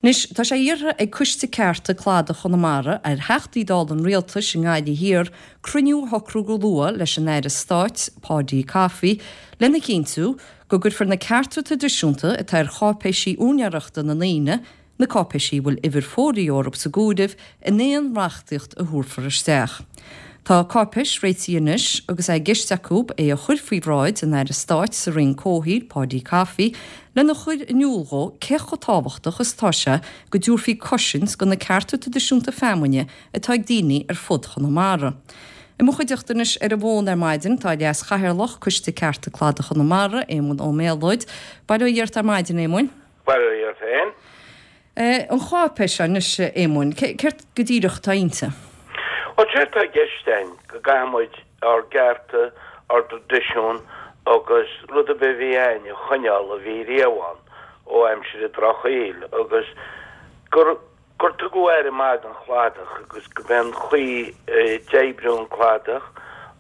Anois, tá sé iarrtha ag Coiste Cearta Cladach Chonamara ar Theachtaí Dála an Rialtais i nGaillimh Thiar cruinniú a shocrú go luath leis an Aire Stáit, Paudie Coffey, lena chinntiú go gcuirfear na cearta traidisiúnta atá ar cháipéisí úinéireachta na ndaoine, na cáipéisí a bhfuil uimhir folio orthu sa gcomhaireamh, in aon reachtaíocht a thabharfar isteach. Tá cáipéis réitithe anois agus é i gceist acu é a chur faoi bhráid an Aire Stáit sa Roinn Comhshaoil, Paudie Coffey, lena chur in iúl dhó cé chomh tábhachtach is atá sé go dtabharfaí cosaint do na cearta traidisiúnta feamainne atá ag daoine ar fud Chonamara. I mo chuideachta anois ar an bhfón ar maidin tá Leas-Chathaoirleach Coiste Cearta Cladaigh Chonamara, Éamonn Ó Méalóid. Bail ó Dhia ort ar maidin, Éamoinn. Bail ó Dhia ort féin. An cháipéis seo anois, a Éamoinn, céard go díreach atá inti? Bhuel, séard atá i gceist againn, go gcaithfidh muid ár gcearta, ár dtraidisiún agus rud ar bith a bhí againn a choinneáil a bhí riamh ann ó aimsir an Drochshaoil agus gur gur tugadh aire maith don chladach agus go b'é an chaoi a d'oibriú an cladach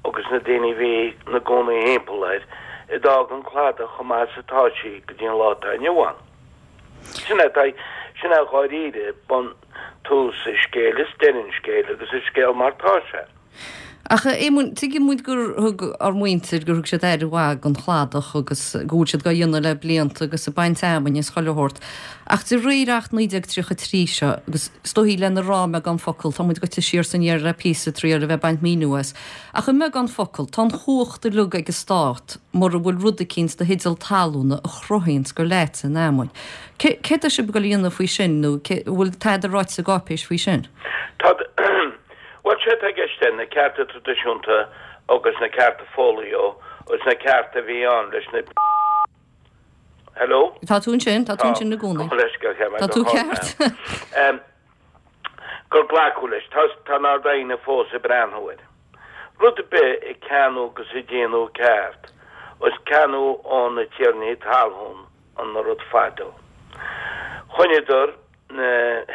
agus na daoine a bhí 'na gcónaí thimpeall air a d'fhág an cladach chomh maith is atá sí go dtí an lá atá inniu ann. Sin é, sin é dháiríre bun tús an scéil is deireadh an scéil agus an scéal mar tá sé. Ach a Éamoinn, tuigeann muid gur thug ár muintir, gur thug siad aire mhaith don chladach agus go bhfuil siad dhá dhéanamh le blianta agus ag baint fheamainne is chuile shórt. Ach de réir Acht 1933 seo, agus is dóichí lena rá i mbeagán focal, tá muid goite siar is aniar le píosa triail a bheith ag baint míniú as, ach i mbeagán focal, tá an chumhacht uilig ag an Stát, mura bhfuil rud eicínt do theideal talúna a chruthaíonns gur leatsa an fheamainn. Céard tá sibh ag dul a dhéanamh faoi sin nó an bhfuil tada ráite sa gcáipéis faoi sin? Tá, bhuel, sé atá i gceist é, na cearta traidisiúnta agus na cearta folio agus na cearta a bhí ann leis na. Hello? Tá tú ansin, tá tú ansin i gcónaí. Tá tú ceart. gur glacadh leis. Tá tá an Ard-Aighne fós ag breathnú air. Rud ar bith a ceannadh agus a déanadh ceart, is ceannadh ó na tiarnaí talún an rud fadó. Choinneadar na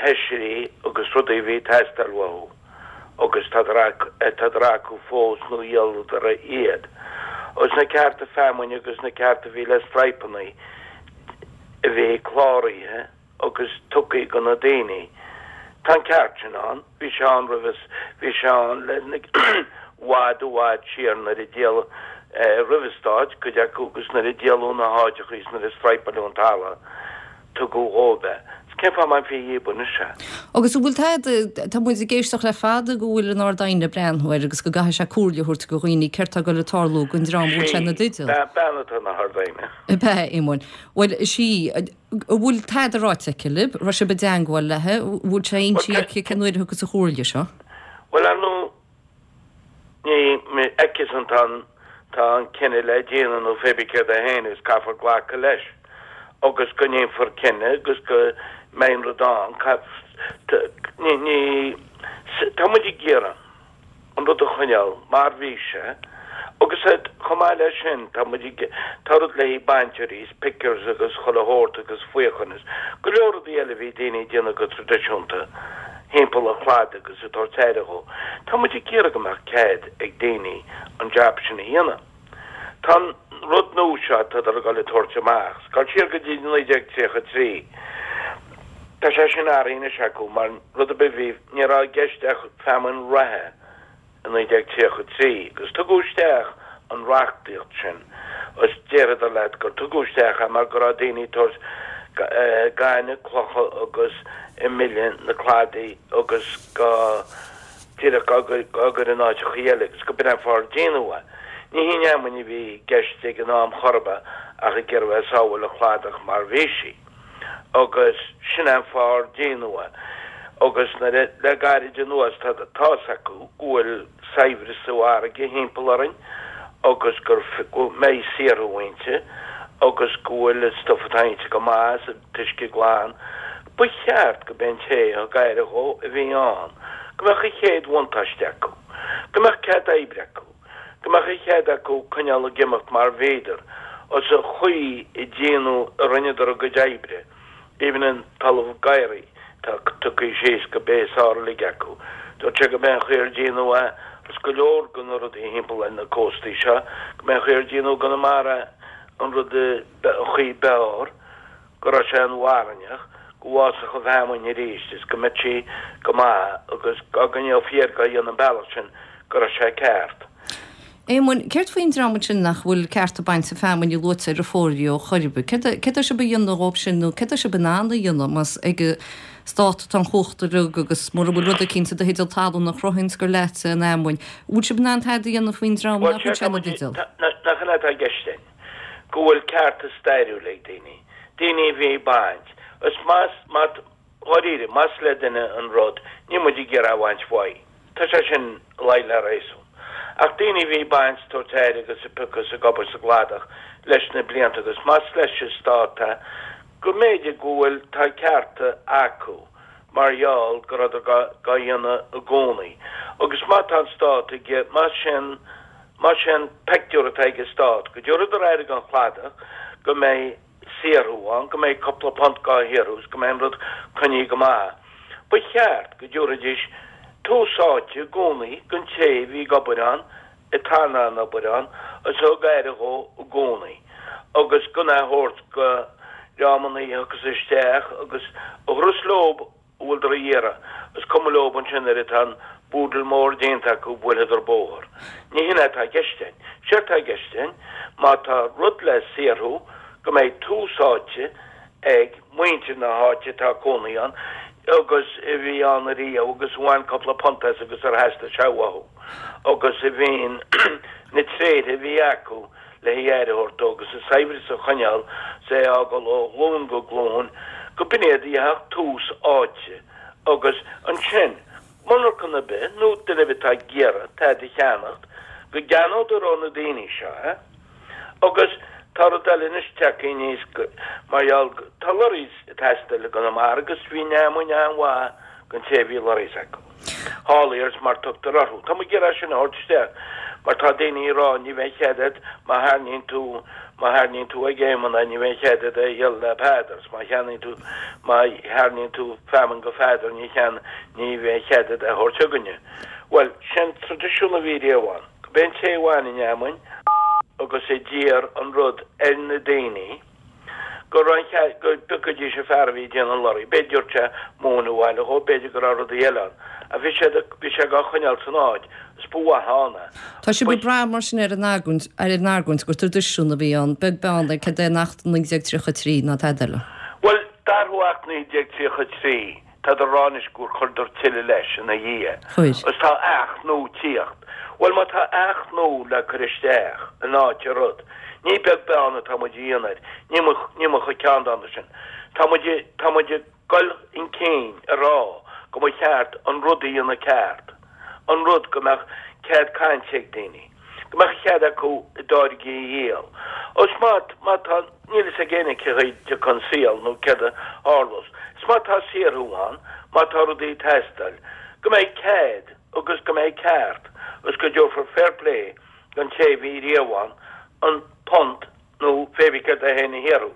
hoisrí agus rudaí a bhí ag teastáil uathu agus tádar acu fós nó dhíoladar iad. Agus na cearta feamainne agus na cearta a bhí le straidhpeanna a bhí cláraithe, agus tugtha do na daoine. Tá an ceart sin ann. Bhí sé ann roimhe, bhí sé ann le i bhfad i bhfad siar nuair a díoladh, roimh an Stát, cuid acu agus nuair a díoladh na háiteacha is nuair a straidhpeáladh an talamh, tugadh dhóibh é. Is cén fáth a mbainfí dhíob anois é? Agus an bhfuil tada, tá muid ag éisteacht le fada go bhfuil an Ard-Aighne ag breathnú air agus go gcaithfidh sé comhairle a thabhairt do dhaoine céard tá ag dul ag tarlú don dream a bhfuil sé ina dteideal. Sí, bean atá ina hArd-Aighne. Ab ea, a Éamoinn? Bhuel, is í. An bhfuil tada ráite aici libh? Raibh sibh i dteangmháil léi? An bhfuil sé inste aici cén uair a thiocfas an chomhairle seo? Bhuel, ar ndóigh, ní aici-san tá an tá an cinneadh le déanamh nó pé bith céard é féin agus caithfear glacadh leis agus go ndéanfar cinneadh agus go mbeidh an rud ann. Ní, ní, tá muid ag iarraidh. an rud a choinneáil mar bhí sé agus chomh maith leis sin tá muid ag tá rud le haghaidh bainteoirí is pickers agus chuile shórt agus faochain is go leor rudaí eile a bhí daoine ag déanamh go traidisiúnta thimpeall an chladaigh agus ag tabhairt aire dhó. Tá muid ag iarraidh go mbeadh cead ag daoine an jab sin a dhéanamh. Tá an rud nua seo atádar ag dul a tabhairt amach, ag dul siar go dtí 1933, tá sé sin athraithe anois acu mar rud ar bith bhí, ní raibh i gceist ach feamainn reatha i 1933 agus tugadh isteach an reachtaíocht sin agus déarfadar leat gur tugadh isteach é mar go raibh daoine ag tabhairt gaineamh, clocha agus ag milleadh na cladaí agus go díreach á gcur in áiteacha eile agus go b'in an fáth ar déanadh é. Ní hí an fheamainn a bhí i gceist ag an am chor ar bith ach ag iarraidh bheith ag sábháil an chladach mar bhí sí. Agus sin an fáth ar déanadh é. Agus nuair a, le gairid anuas tá tá's acu go bhfuil saibhreas sa bhfarraige thimpeall orainn agus gur, go mbeidh saothrú inti agus go bhfuil an stuif atá inti go maith is an t-uisce glan. Ba cheart go b'é an té a thug aire dhó a bhí ann, go mbeadh an chéad bhuntáiste acu, go mbeadh cead oibre acu, go mbeadh an chead acu coinneáil ag imeacht mar bhíodar, is an chaoi a déanadh, a rinneadar a gcuid oibre, even an talamh gadhraí atá tugtha síos go b'é is fearr uilig acu. Dúirt sé go b'é an chaoi ar déanadh é, is go leor de na rudaí thimpeall ar na cóstaí seo, go b'é an chaoi ar déanadh i gConamara an rud, an chaoi b'fhearr. go raibh sé inmharthanach. Go bhfásfadh an fheamainn arís is go mbeadh sí go maith agus dá gcoinneofaí air dhá dhéanamh an bealach sin go raibh sé ceart. Éamoinn, céard faoin dream ansin nach bhfuil cearta bainte feamainne luaite ar a fógraí chor ar bith? Céard céard tá sibh a dhéanamh dhóibh sin nó céard tá sibh in ann a dhéanamh más ag an Stát atá an chumhacht uilig agus mura bhfuil rud eicínt i do theideal talún a chruthaíonns gur leatsa an fheamainn, bhfuil sibh in ann tada a dhéanamh faoin dream nach bhfuil sé ina dteideal? Nach in é atá i gceist againn, go bhfuil cearta stairiúla ag daoine. Daoine a bhí ag baint. Is más, má, dháiríre, más le duine an rud, níl muid ag iarraidh a bhaint uaidh. Tá sé sin i luí le réasún. Ach daoine a bhí ag baint, tabhairt aire agus ag piocadh is ag obair sa gcladach leis na blianta agus más leis an stát é, go mb'fhéidir go bhfuil, tá cearta acu mar gheall go rabhadar gá, gá dhéanamh i gcónaí. Agus má tá an stát ag, más sin, Más é an peictiúr atá ag an Stát, go dtabharfadar aire don chladach, go mbeidh saothrú ann, go mbeidh cúpla punt dhá shaothrú is go mbeidh an rud coinnithe go maith. Ba cheart go dtabharfaidís tús áite i gcónaí don té a bhí ag obair ann, atá in ann obair ann, is a thug aire dhó i gcónaí, agus gan é a thabhairt go dreamanna a thiocfas isteach agus a thabharfas leob a bhfuileadar a iarraidh. Is cuma leob ansin nuair atá an búdal mór déanta acu buailfeadar bóthar. Ní hin é atá i gceist againn. Séard atá i gceist againn, má tá rud le saothrú, go mbeidh tús áite ag muintir na háite atá ag cónaí ann agus a bhí ann ariamh agus a bhain cúpla punt as agus ar theastaigh sé uathu agus a bhíonn na tréithe a bhí acu le aire a thabhairt dó agus an saibhreas a choinneáil 's é a fhágáil ó ghlúin go glúin, go b'in iad a gheobhadh tús áite agus ansin monarchan ar bith nó duine ar bith atá ag iarraidh tada a cheannacht, go gceannódar ó na daoine seo é. Agus tá rud eile anois tagtha aníos mar gheall go, tá lorries ag teastáil i gConamara agus bhí an fheamainn an-mhaith don té a bhí lorries acu. Hauliers mar tugtar orthu. Tá muid ag iarraidh sin a thabhairt isteach mar tá daoine ag rá ní bheidh cead agat má tharraingíonn tú má tharraingíonn tú ag Éamonn é ní bheidh cead agat é a dhíol le Peadar is má cheannaíonn tú má tharraingíonn tú feamainn go Pheadar ní chean ní bheidh cead agat é a thabhairt chugainne. Bhuel, sin traidisiún a bhí riamh ann. Go b'é an té a bhain an fheamainn agus a d'iarr an rud ar na daoine go raibh an chead go bpiocfaidís an fear a bhí ag déanamh an lorry. B'fhéidir dtabhairt sé móin abhaile dhó, b'fhéidir go raibh rudaí eile ann. Ach bhí sé bhí sé dhá choinneáil san áit is ba mhaith ann é. Tá sibh ag brath mar sin ar an argóint, ar an argóint gur traidisiún a bhí ann, beag beann ar cad é an Acht 1933 ná tada eile. Bhuel, d'athrú Acht 1933 Tádar a rá anois gur chuireadar tuilleadh leis ina dhiaidh. Chuir. Is tá Acht nua tíocht. Bhuel, má tá Acht nua le cur isteach in áit an rud, ní beag beann atá muid a dhéanamh air. Níl muid, níl muid chomh ceanndána sin. Tá muid, tá muid ag goil chun cinn a rá go mba cheart an rud a dhéanamh ceart. An rud go mbeadh cead cainte ag daoine. Go mbeadh cead acu a dtáirgí a dhíol. Is má, má tá, níl fhios ag éinne cé chaoi dtiocfaidh an saol nó céard a tharlós. Is má tá saothrú ann, má tá rudaí ag teastáil, go mbeidh cead agus go mbeidh ceart agus go dtabharfar fair play don té a bhí riamh ann an punt nó pé bith céard é féin a shaothrú.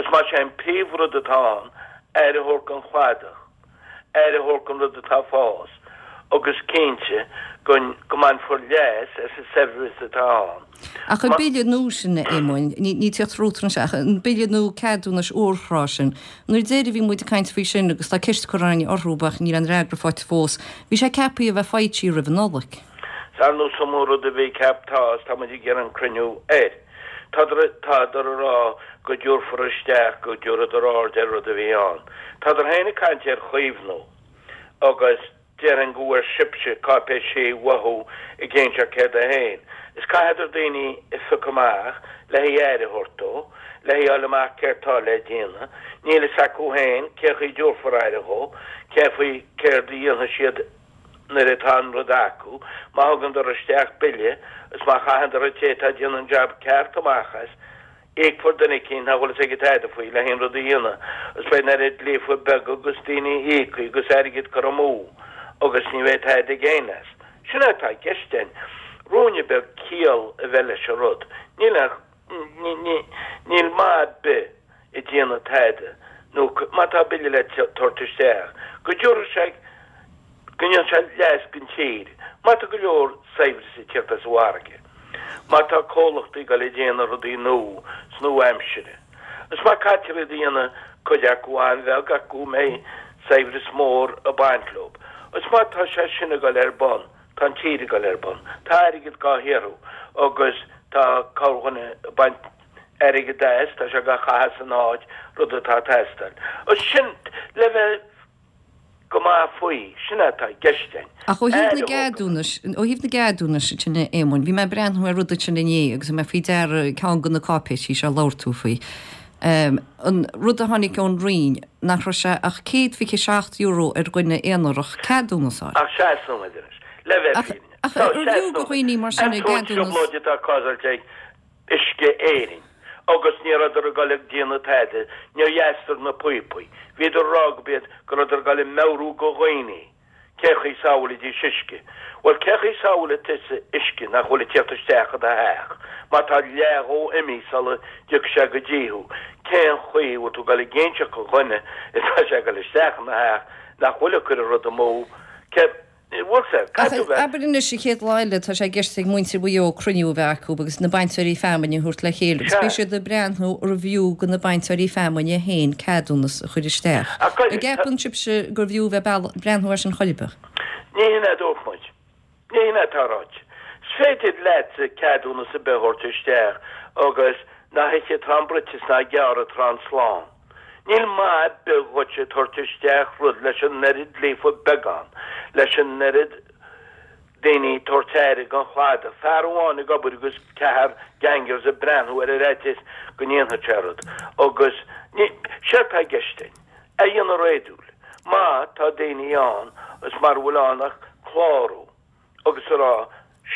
Is más é an príomhrud atá ann, aire a thabhairt don chladach. aire a thabhairt don rud atá ag fás agus cinnte go go mbainfear leas as an saibhreas atá ann. Ach an bille nua sin, a Éamoinn, ní tíocht rútar anseo, ach an bille nua ceadúnais urthrá sin, nuair deiridh a bhí muid ag caint faoi sin agus tá ceist curtha againn orthu ach níl aon fhreagra faighte fós, bhí sé ceaptha a bheith foilsithe roimh an Nollaig. Is ar nós iomaí rud a bhí ceaptha is tá muid ag iarraidh an cruinniú air. Tádar tádar a rá go dtabharfar isteach, go dtabharfadar aird ar rud a bhí ann. Tádar féin ag caint ar chaomhnú agus déarfainn go bhfuair sibhse cáipéisí uathu ag inseacht céard é féin. Is caithfeadar daoine a phiocadh amach le haghaidh aire a thabhairt dó, le haghaidh fháil amach céard tá le déanamh. Níl fhios acu féin cé chaoi dtabharfar aire dhó, cé faoi céard a dhéanfaidh siad nuair atá an rud acu, má thugandar isteach bille is má chaitheandar an té atá ag déanamh an jab ceart amach as, íocfar duine eicínt nach bhfuil fhios aige tada faoi le haon rud a dhéanamh is beidh an oiread líofa beaga agus daoine íoctha agus airgead curtha amú agus ní bheidh tada ag éinne as. Sin é atá i gceist againn. Ruainne beag ciall a bheith leis an rud. Níl ach, níl maith ar bith ag déanamh tada nó má tá bille le tabhairt isteach, go dtabharfaidh sé, go ndéanfaidh sé leas don tír. Má tá go leor saibhreas ag tíocht as an bhfarraige, má tá comhlachtaí ag dul ag déanamh rudaí nua 's nua-aimsire, is má caitear iad a dhéanamh. Cuid acu an-bheag ach go mbeidh saibhreas mór ag baint leo. Is má tá sé sin ag dul ar bun, tá an tír ag dul ar bun. Tá airgead dhá shaothrú agus tá corrdhuine ag baint airgead as, tá sé dhá chaitheamh san áit, rud atá ag teastáil. Is sin le bheith go maith faoi, sin é atá i gceist againn. Ach ó thaobh na gceadúnais, ó thaobh na gceadúnais sin a Éamoinn, bhí mé ag breathnú ar rud ansin inné agus bhí mé faoi deara ceann de na cáipéisí seo a labhair tú faoi. An rud a tháinig ón Roinn, nach raibh sé ach €127 ar dhuine aonarach ceadúnas a fháil. Ach seas nóiméad anois, le bheith fírinneach. Ach arbh fhiú do dhaoine mar sin a gceadúnas. An trioblóid atá cásáilte ag Uisce Éireann agus ní rabhadar ag dul ag déanamh tada, níor dheascadar na píopaí. Bhíodar ag rá go b'iad go rabhadar ag dul ag meabhrú go dhaoine cé chaoi sábhálfaidís uisce. Bhuel cé chaoi sábhálfaidh tusa uisce nach bhfuil ag tíocht isteach i do theach má tá leath dhó imithe sula dtiocfaidh sé go dtí thú? Cén chaoi a bhfuil tú ag dul ag inseacht go dhuine atá sé ag dul isteach ina theach nach bhfuil ag cur an rud amú? Cé. Ach abair anois, an chéad lá eile, tá sé i gceist ag muintir Mhaigh Eo cruinniú a bheith acu agus na bainteoirí feamainne a thabhairt le chéile agus beidh siad ag breathnú arbh fhiú do na bainteoirí feamainne féin ceadúnas a chur isteach. An gceapann sibhse gurbh fhiú bheith ag breathnú air sin chor ar bith? Ní hin é a dúirt muid. Ní hin é atá ráite. Is féidir leatsa ceadúnas ar bith a thabhairt isteach agus ná hithe tráth an bruite is ná gearradh tráth an slán. Níl maith ar bith dhuit ag tabhairt isteach rud leis an oiread líofa beagán, leis an oiread daoine ag tabhairt aire don chladach, fear amháin ag obair agus ceathrar gangers ag breathnú air ar fhaitíos go ndéanfadh sé rud. Agus ní, séard tá i gceist againn, é a dhéanamh réadúil. Má tá daoine ann is mara bhfuil ann ach clárú. agus a rá,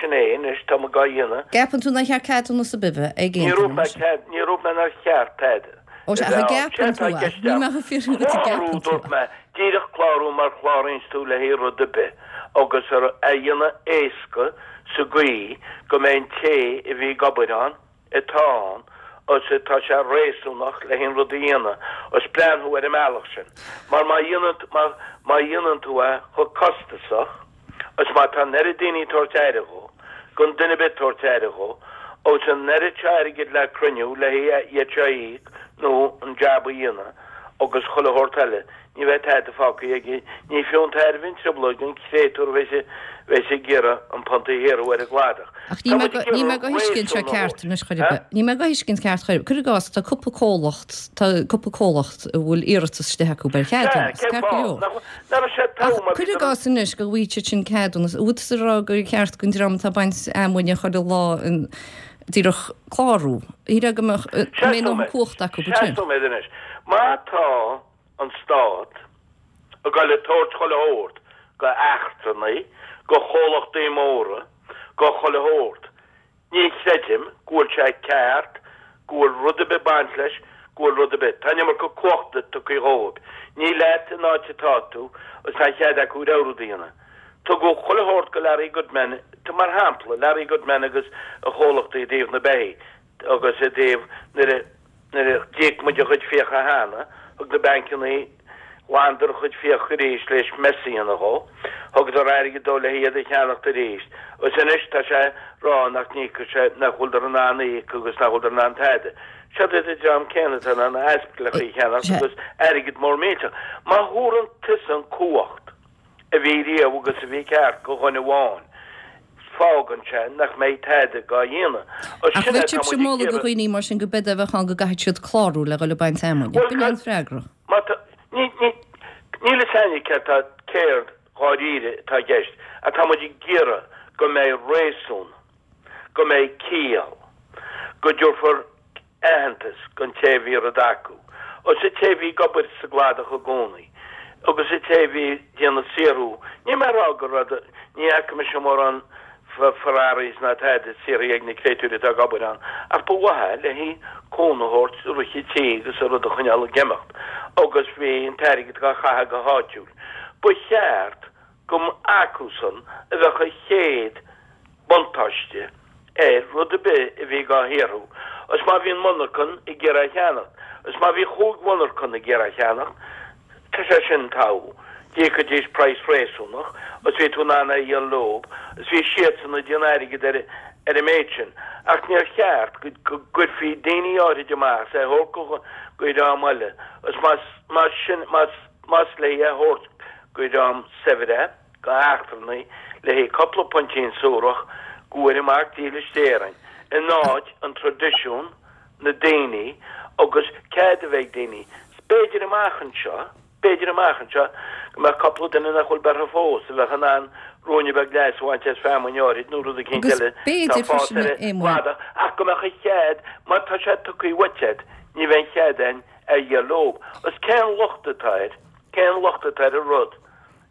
Sin é anois, tá muid dhá dhéanamh. Gceapann tú nár cheart ceadúnas ar bith a bheith ag aon duine, mar sin? Ní dúirt mé nár cheart tada Ó sea, ach an gceapann tú é? Níl mé ag fiafraí dhuit an gceapann tú é. Clárú, dúirt mé, díreach clárú mar chláraíonns tú le haghaidh rud ar bith agus é a dhéanamh éasca sa gcaoi go mbeidh an té a bhí ag obair ann, atá ann agus atá sé réasúnach le haon rud a dhéanamh agus breathnú ar an mbealach sin mar má dhéanann má má dhéanann tú é chomh costasach agus má tá an oiread daoine ag tabhairt aire dhó gan duine ar bith ag tabhairt aire dhó agus an oiread seo airgid le cruinniú le iad seo a íoc nó an jab a dhéanamh agus chuile shórt eile Ní bheidh tada fágtha aige. Ní fiú an tairbhe an trioblóid don chréatúr a bheas ag iarraidh an punt a shaothrú ar an gcladach. Ach níl mé níl mé dhá thuiscint seo ceart anois chor ar bith. Níl mé dhá thuiscint ceart chor ar bith. Cuir i gcás, tá cúpla comhlacht, tá cúpla comhlacht a bhfuil iarratas istigh acu ar cheadúnas, ceart go leor. Ach cuir i gcás anois go bhfaighidh siad sin ceadúnas, an bhfuil tusa ag rá gur cheart don dream atá ag baint fheamainne chuile lá an díreach clárú? Shílfeá go mbeadh, go mbeidh ndóthain cumhachta acu ansin. Seas nóiméad anois. Má tá an Stát ag goil ag tabhairt chuile shórt go eachtrannaigh, go chomhlachtaí móra, go chuile shórt. Ní chreidim go bhfuil sé ceart go bhfuil rud ar bith baint leis, go bhfuil rud ar bith. Tá an iomarca cumhachta tugtha dhóibh. Ní leat an áit atá tú agus tá cead acu rogha rud a dhéanamh. Tugadh chuile shórt go Larry Goodman, mar shampla, Larry Goodman agus a chomhlachtaí i dtaobh na beithí agus i dtaobh nuair a Nuair a d'íoc muid a chuid fiacha cheana, thug na bancannaí, ghlanadar a chuid fiach arís leis mess a dhéanamh dhó. Thugadar airgead dó le hiad a cheannacht arís. Agus anois tá sé rá nach n-íocfaidh sé, nach bhfuildar in ann íoc agus nach bhfuildar in ann tada. Seod iad an dream céanna atá in ann aspicleacha a cheannacht agus airgead mór millteach. Má thabharann tusa an cumhacht a bhí riamh agus a bhí ceart go dhuine amháin, fágann sé nach mbeidh tada dhá dhéanamh. Ach bheadh sibhse ag moladh do dhaoine mar sin go b'fhéidir a bheadh ann go gcaithfidh siad clárú le dhul ag baint fheamainne. B'in é an freagra. Má tá, ní, ní, níl fhios a'inne céard tá, céard dháiríre atá i gceist ach tá muid ag iarraidh go mbeidh réasún, go mbeidh ciall, go dtabharfar aitheantas don té a bhí rud acu, agus an té a bhí ag obair sa gcladach i gcónaí, agus an té a bhí ag déanamh saothrú. Níl mé ag rá go raibh, ní fhaca mise mórán Ferraris ná tada saothraithe ag na créatúirí atá ag obair ann, ach ba mhaith le haghaidh cúnamh a thabhairt i rith an tí agus an rud a choinneáil ag imeacht, agus bhí an t-airgead dhá chaitheamh go háitiúil. Ba cheart go mba acusan a bheadh an chéad buntáiste ar rud ar bith a bhí dhá shaothrú, agus má bhíonn monarchan ag iarraidh a cheannacht, agus má bhí chúig mhonarchan ag iarraidh a cheannacht, tá sé sin togha, d'íocfaidís praghas réasúnach, agus bhí tú in ann é a dhíol leob, agus bhí siadsan ag déanamh airgid ar. ar an méid sin, ach níor cheart go gcuirfí daoine áirid amach is é a thabhairt go dhream eile, is más, más sin, más, más le é a thabhairt go dhream saibhir é, go eachtrannaigh, le haghaidh cupla puntín suarach, go bhfuair an mac dílis d'Éirinn, in áit an traidisiún, na daoine, agus cead a bheith ag daoine, b'fhéidir amach anseo, B'fhéidir amach anseo go mbeadh cupla duine nach bhfuil beirthe fós, a bheadh in ann ruainne beag leas a bhaint as feamainn áirid nó rud eicínt Agus eile atá b'fhéidir ag fás freisin, ar a an Éamoinn. gcladach, ach go mbeadh an chead, má tá sé tugtha uait agat, ní bheidh an chead ann a dhíol leob. Is cén locht atá air, cén locht atá ar an rud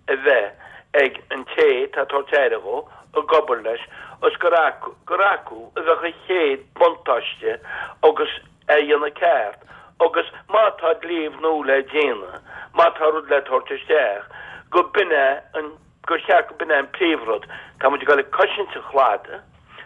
a bheith ag an té atá ag tabhairt aire dhó, ag obair leis, is gur acu, gur acu a bheadh an chéad buntáiste agus é a dhéanamh ceart agus má tá dlíbh nua le déanamh, má tá rud le tabhairt isteach, go b'in é an, gur cheart go b'in é an príomhrud, tá muid ag dul ag cosaint an chladaigh,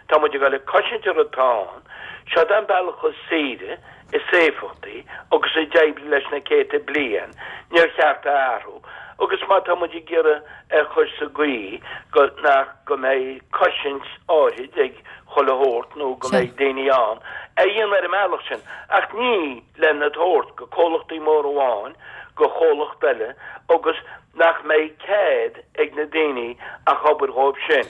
tá muid ag dul ag cosaint an rud atá ann, seod é an bealach is saoire, is éifeachtaí agus a d'oibrigh leis na céadta bliain, níor cheart é a athrú. Agus má tá muid ag iarraidh é a chur sa gcaoi go, nach, go mbeidh cosaint áirid ag chuile shórt nó go mbeidh daoine ann a dhéanamh ar an mbealach sin ach ní lena tabhairt go comhlachtaí móra amháin, go chomhlacht eile agus nach mbeidh cead ag na daoine ach obair dhóibh sin.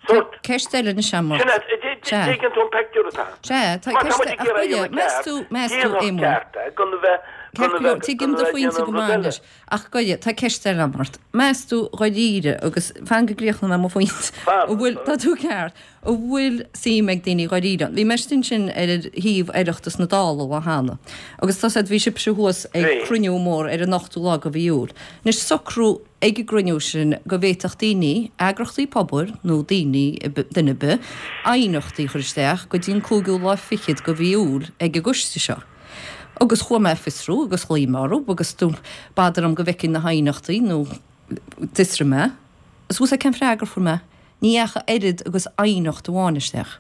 Sórt. Ceist eile anois agam ort. Sin é, Sea. tuigeann tú an peictiúr atá ann. Sea, tá Má tá ceist muid ag ach iarraidh goile, a dhéanamh meas ceart, tú, meas tú, déanfadh Éamonn. ceart é, gan a bheith, Ceart gan go a leor, bheith, tuigim gan a do bheith ag phointe déanamh go rud maith eile. anois. Ach goile, tá ceist eile agam ort. Meas tú dháiríre, agus fan go gcríochnóidh mé mo phointe, Fan, an bhfuil, tá tú ceart, an bhfuil suim ag daoine dháiríre ann? Bhí mé istigh ansin ar shuíomh Oireachtas na Dála lá cheana, agus tá said, bhí sibhse thuas ag Bhí. cruinniú mór ar an ochtú lá de mhí Iúil. Anois, socrú ag an gcruinniú sin go bhféadfadh daoine, eagrachtaí pobail nó daoine, duine ar bith, aighneachtaí a chur isteach go dtí an cúigiú lá fichead de mhí Iúil ag an gcoiste seo. Agus chuaigh mé ag fiosrú agus ghlaoigh mé orthu agus do b'fhada orm go bhfeicfinn na haighneachtaí nó d'fhiosraigh mé. Is bhfuil 's a'd cén freagra a fuair mé? Ní dheachaigh oiread agus aighneacht amháin isteach.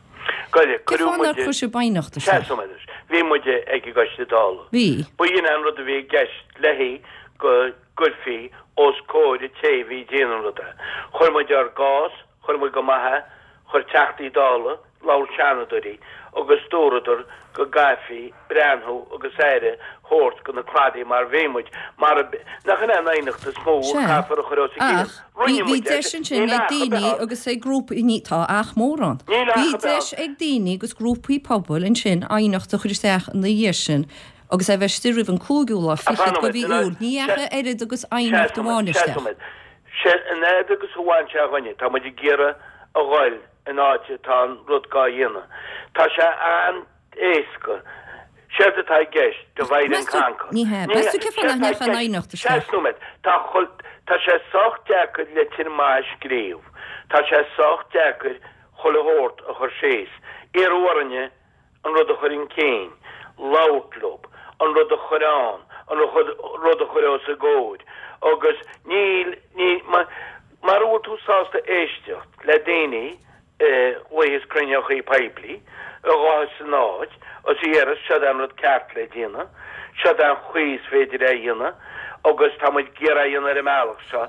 Goile, Cén cuireadh fáth nár muide, chuir sibh aighneacht isteach? Seas nóiméad anois. Bhí muide ag an gcoiste Dála. Bhí. Ba in é an rud a bhí i gceist léi go gcuirfí os comhair an té a bhí ag déanamh an ruda. Chuir muid ár gcás, chuir muid go maith é, chuir Teachtaí Dála, labhair Seanadóirí agus dúradar go gcaithfí breathnú agus aire thabhairt go na cladaí mar bhí muid, mar a, nach in é an aighneacht is mó a Sea, chaithfear a chur os a gcionn. ach bhí, Rinne bhí muid é deis sin. ansin Níl ag ach a bheith daoine ann. agus ag grúpaí, ní, tá ach mór ann. Níl ach Bhí a bheith deis ann. ag daoine agus grúpaí pobail ansin aighneacht a chur isteach ina dhiaidh sin agus é bheith istigh roimh an cúigiú lá Ach fan fichead de nóiméad, mhí sin é, Iúil. Ní sea, dheachaigh oiread agus seas aighneacht nóiméad, amháin seas isteach. nóiméad. Sé an fhad agus a bhain sé dhúinne, tá muid ag iarraidh a ghoil in áit atá an rud gá dhéanamh. Tá sé an-éasca. Séard atá i gceist, divide and Meas tú, conquer. ní hea, Ní meas hea, tú cén fáth séard nach atá i ndeachaigh an gceist, aighneacht isteach? seas nóiméad, tá chul, tá sé sách deacair litir maith a scríobh, tá sé sách deacair chuile shórt a chur síos. Iarradh orainne an rud a chur chun cinn, labhairt leo, an rud a chur ann, an rud a chur os a gcomhair agus níl, ní, mara bhfuil tú sásta éisteacht le daoine a ghlaothas cruinneochaí poiblí, a ghlaothas san áit, is a dhéarfas seod é an rud ceart le déanamh, seod é an chaoi is féidir é a dhéanamh agus tá muid ag iarraidh é a dhéanamh ar an mbealach seo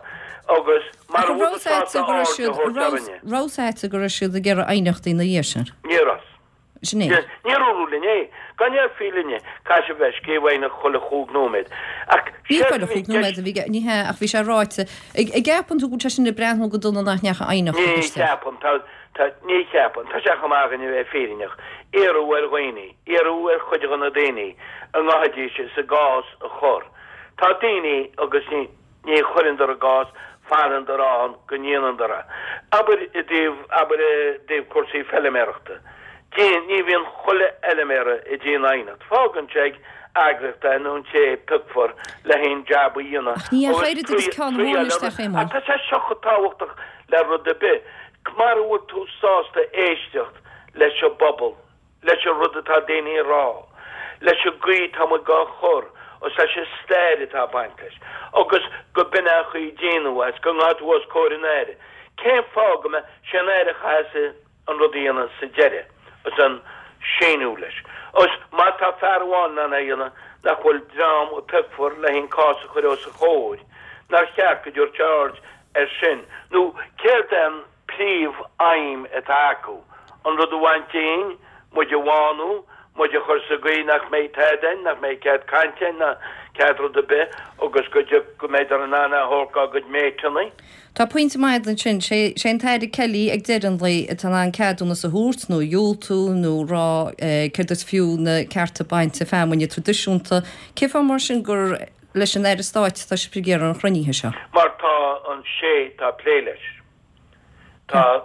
agus Ach mara an bhfuil raibh tú 's a'dsa sásta go raibh aird a siad, thabhairt raibh, orainne. raibh 's a'dsa go raibh siad ag iarraidh aighneachtaí ina dhiaidh sin? Ní raibh. Sin é. Níor dúradh linn é. Gan ndéarfaí linne, caithfidh sibh bheith ag scríobh aighneacht chuile chúig nóiméad. Ach Ní séard chuile a bhí i chúig nóiméad gceist. a bhí, ní hea, ach bhí sé ráite. An gceapann tú go bhfuil sé sin ag breathnú go dona nach ndeachaigh aighneacht Ní isteach? cheapaim. Tá, tá, ní cheapaim. Tá sé chomh maith againn a bheith fírinneach. Iarradh ar dhaoine, iarradh ar chuid de na daoine a ngabhaidís is a gcás a chur. Tá daoine agus ní. Ní chuireandar a gcás, fanandar ann go ndéanandar é. Abair i dtaobh, abair i dtaobh cúrsaí feiliméarachta. Déan, ní bhíonn chuile fheiliméara ag déanamh aighneacht. Fágann sé ag eagraíocht é nó an té a piocfar le haon jab a dhéanamh Ach ní agus dheachaigh oiread agus ceann amháin isteach, Éamonn. Ach tá sé seo chomh tábhachtach le rud ar bith. Mara bhfuil tú sásta éisteacht leis an bpobal, leis an rud atá daoine a rá, leis an gcaoi atá muid dhá chur agus leis an stair atá ag baint leis, agus go b'in é an chaoi a déanadh é, is go ngabhfaidh tú os comhair an Aire. Cén fáth go mbeadh sé an Aire a chaithfeas an rud a dhéanamh sa deireadh, agus an síniú leis. Agus má tá fear amháin in ann é a dhéanamh, nach bhfuil dream a piocfar le haon cás a chur os a chomhair, nár cheart go dtabharfadh sé aird air sin, nó céard é an príomh-aidhm atá acu? an rud a bhaint dínn, muid a bhánú, muid a chur sa gcaoi nach mbeidh tada a'inn, nach mbeidh cead cainte a'inn ná cead rud ar bith agus go dtiocfaidh, go mbeidh in ann é a thabhairt dá gcuid méiteanna. Tá pointe maith agat ansin. Sé sé an tAire Kelly ag deireadh an lae atá in ann ceadúnas a thabhairt nó a dhiúltú nó rá céard is fiú na cearta bainte feamainne traidisiúnta. Cén fáth mar sin gur leis an Aire Stáit atá sibh ag iarraidh an chruinnithe seo? Mar tá an sé tá ag plé leis. Tá,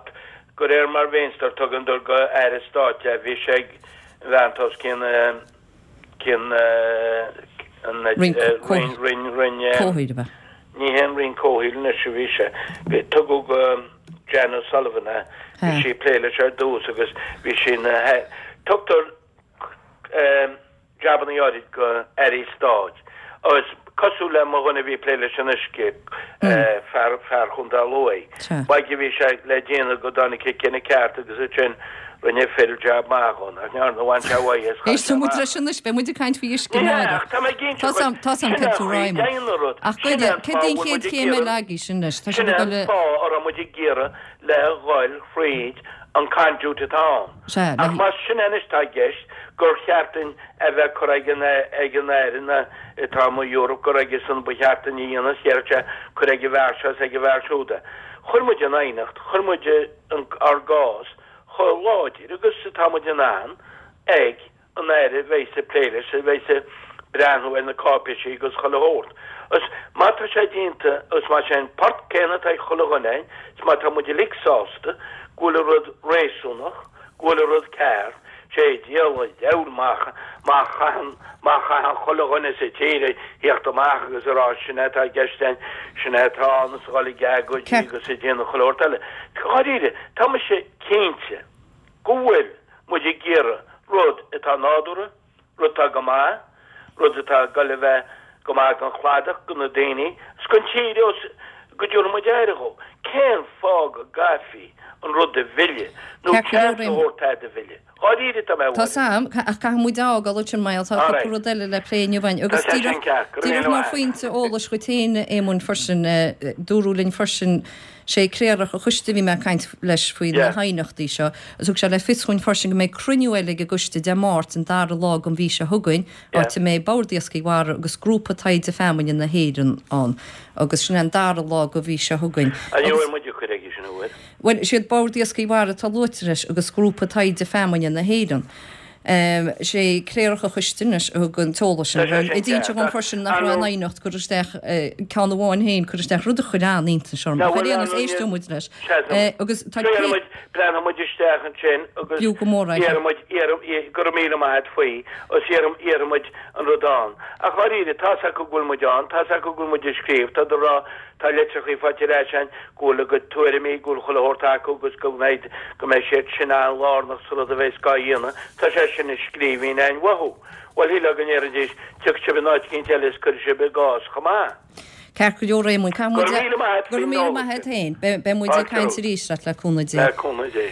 de réir mar mh'instar, tugann dur go Aire Stáit é. Bhí sé ag an bhean tá os cionn, cionn an Roinn Roinn, Roinn, Roinn, Comhshaoil, ab ea? Ní hé an Roinn Comhshaoil anois a bhí sé. Bhí, tugadh go Jan O'Sullivan é. Bhí sí ag plé leis ar dtús agus bhí sí ina, tugtar jabannaí áirid go airí stáit agus cosúil le mo dhuine a bhí ag plé leis an uisce, fear, fear Chontae Lú é. B'aige a bhí sé le déanamh go dtáinig sé cinneadh ceart agus ansin rinne Phil jab maith dhó, nach ndearna, bhain sé uaidh é is chaith sé Éistfidh muid amach. leis anois, beidh muid ag caint faoi uisce Ní hea, amárach. ach tá mé ag inse Tá dhuit, 'sam, tá 'sam sin céard é tú an chaoi, Réamonn. déan an rud, Ach sin goide, é an céard fáth é a an bhfuil chéad muid ag chéim eile iarraidh, agaibh sin anois? Tá sin sibh é ag an dul a. fáth a raibh muid ag iarraidh le dhul thríd an conduit atá ann. Sea, Ach le. más sin é anois atá i gceist, gur cheart duinn a bheith curtha ag an ag an Aire na atá amuigh Europe gur aige san ba cheart duinn a dhéanamh, is déarfadh sé cuir ag an bhfear seo is ag an bhfear siúd é. Chuir muid an aighneacht, chuir muid an ár gcás chomh láidir agus atá muid in ann ag an Aire a bheas ag plé leis, a bheas ag breathnú ar na cáipéisí agus chuile shórt. Agus má tá sé déanta, agus más é an port céanna atá ag chuile dhuine againn, is má tá muid uilig sásta go bhfuil an rud réasúnach, go bhfuil an rud ceart, sé diabhal an diabhal má má chaitheann má chaitheann chuile dhuine sa tír a thíocht amach agus a rá sin é atá i gceist againn, sin é atá ann is a dhul ag agóidí agus ag déanamh chuile shórt eile. Dháiríre, tá mise cinnte go bhfuil muid ag iarraidh rud atá nádúrtha, rud atá go maith, rud atá ag dul a bheith go maith don chladach, do na daoine, is don tír is go dtabharfaidh muid aire dhó. Cén fáth go gcaithfí an rud a mhilleadh nó Ceart go leor, seans a thabhairt é do mhilleadh? Dháiríre tá mé Tá 's a'm, ach caithfidh muid a fhágáil ansin mar tá cúpla rud eile le plé inniu againn. Agus Tá sé sin díreach, ceart. Go raibh díreach míle mar maith. phointe eolais dhuit féin, a Éamoinn, freisin, dúradh linn freisin, Sé Cléireach an Choiste a bhí mé ag caint leis faoi na haighneachtaí seo agus thug sé le fios dhúinn freisin go mbeidh cruinniú eile ag an gcoiste Dé Máirt an dara lá den mhí seo chugainn áit a mbeidh Bord Iascaigh Mhara agus Grúpa Taighde Feamainne na hÉireann ann agus sin é an dara lá den mhí seo chugainn. An bhfuil muid ag cur aige sin an bhfuil? Bhuel, is iad Bord Iascaigh Mhara atá luaite leis agus Grúpa Taighde Feamainne na hÉireann. Sé Cléireach an Choiste anois a thug an t-eolas sin. Tá sé sin Ag inse ceart, dhom ach freisin nach ar raibh aon ndóigh. aighneacht curtha isteach, ceann amháin féin curtha isteach, rud a chuir an-iontas orm. Ná Ach ar bhfuil aon nós, aon éisteoidh muid leis. Sea, Agus tá Déarfaidh cé. muid, breathnóidh muid isteach ansin agus B'fhiú go mór é. iarrfaidh muid, iarrfaidh, go raibh míle maith a't faoi, agus iarrfaidh, iarrfaidh muid an rud ann. Ach dháiríre, tá's acu go bhfuil muid ann, tá's acu go bhfuil muid ag scríobh, tá ag rá, Tá litreachaí faighte ar ais againn go bhfuil a gcuid tuairimí, go bhfuil chuile shórt acu agus go mbeidh, go mbeidh siad sin an-lárnach sa rud a bheas á dhéanamh. Tá sé sin i scríbhinn againn uathu. Bhuel, shílfeá go ndéarfaidís, tiocfaidh sibh in áit eicínt eile is cuirfidh sibh i gcás chomh maith. Ceart go leor, Réamoinn. Caithfidh Go muid raibh míle maith a't Go raibh faoin míle eolas maith a't sin. féin. Beidh muid ag Fáilte caint romhat. arís leat le cúnamh Dé. Le cúnamh Dé.